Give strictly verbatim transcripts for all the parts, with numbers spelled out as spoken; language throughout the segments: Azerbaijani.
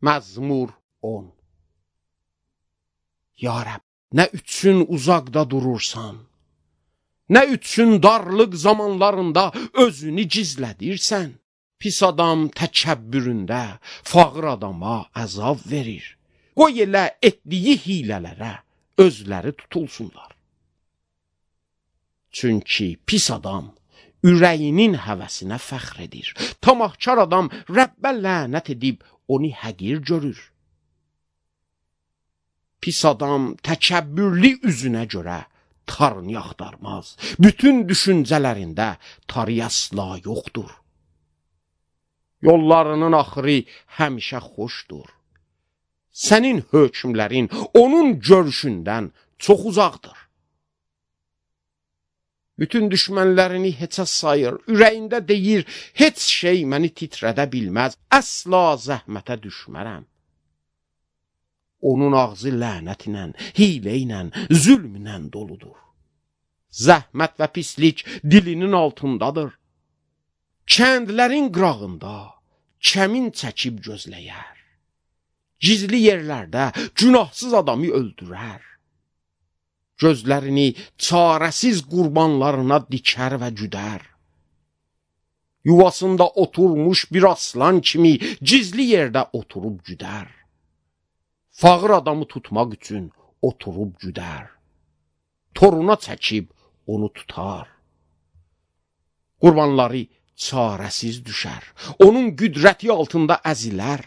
Məzmur on. Ya Rəbb, nə üçün uzaqda durursan? Nə üçün darlıq zamanlarında özünü gizlədirsən? Pis adam təkəbbüründə fağır adama əzab verir. Qoy elə etdiyi hilələrə özləri tutulsunlar. Çünki pis adam ürəyinin həvəsinə fəxr edir. Tamahkar adam Rəbbə lənət edib onu həqir görür. Pis adam təkəbbürlü üzünə görə tarını axtarmaz. Bütün düşüncələrində tarı əsla yoxdur. Yollarının axırı həmişə xoşdur. Sənin hökmlərin onun görüşündən çox uzaqdır. Bütün düşmənlərini heçə sayır, ürəyində deyir, heç şey məni titrədə bilməz, əsla zəhmətə düşmərəm. Onun ağzı lənət ilə, hilə ilə, zülm ilə doludur. Zəhmət və pislik dilinin altındadır. Kəndlərin qırağında kəmin çəkib gözləyər. Gizli yerlərdə günahsız adamı öldürər. Gözlərini çarəsiz qurbanlarına dikər və güdər. Yuvasında oturmuş bir aslan kimi gizli yerdə oturub güdər. Fağır adamı tutmaq üçün oturub güdər. Toruna çəkib onu tutar. Qurbanları çarəsiz düşər. Onun qüdrəti altında əzilər.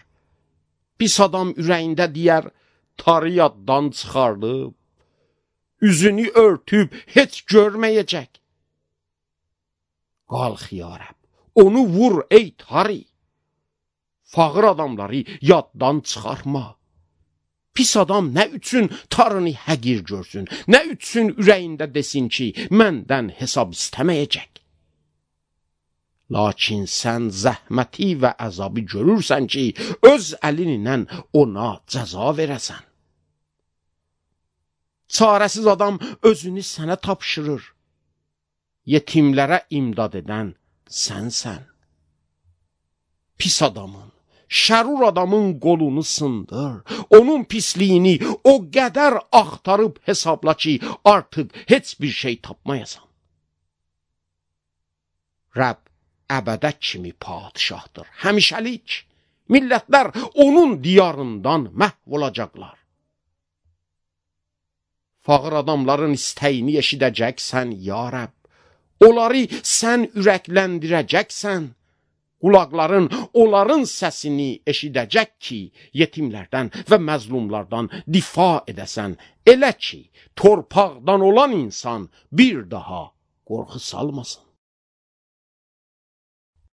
Pis adam ürəyində deyər, tarı yaddan çıxardıb, üzünü örtüb heç görməyəcək. Qalx ya Rəbb, onu vur ey tarı. Fağır adamları yaddan çıxarma. Pis adam nə üçün tarını həqir görsün, nə üçün ürəyində desin ki, məndən hesab istəməyəcək. Lakin sən zəhməti və əzabı görürsən ki, öz əlinlə ona cəza verəsən. Çarəsiz adam özünü sənə tapşırır. Yetimlərə imdad edən sənsən. Pis adamın, şərur adamın qolunu sındır. Onun pisliyini o qədər axtarıb hesabla ki, artıq heç bir şey tapmayasan. Rəbb əbədə kimi padişahdır, həmişəlik. Millətlər onun diyarından məhv olacaqlar. Fağır adamların istəyini eşidəcəksən, ya Rəbb. Onları sən ürəkləndirəcəksən. Qulaqların onların səsini eşidəcək ki, yetimlərdən və məzlumlardan difa edəsən. Elə ki, torpaqdan olan insan bir daha qorxu salmasın.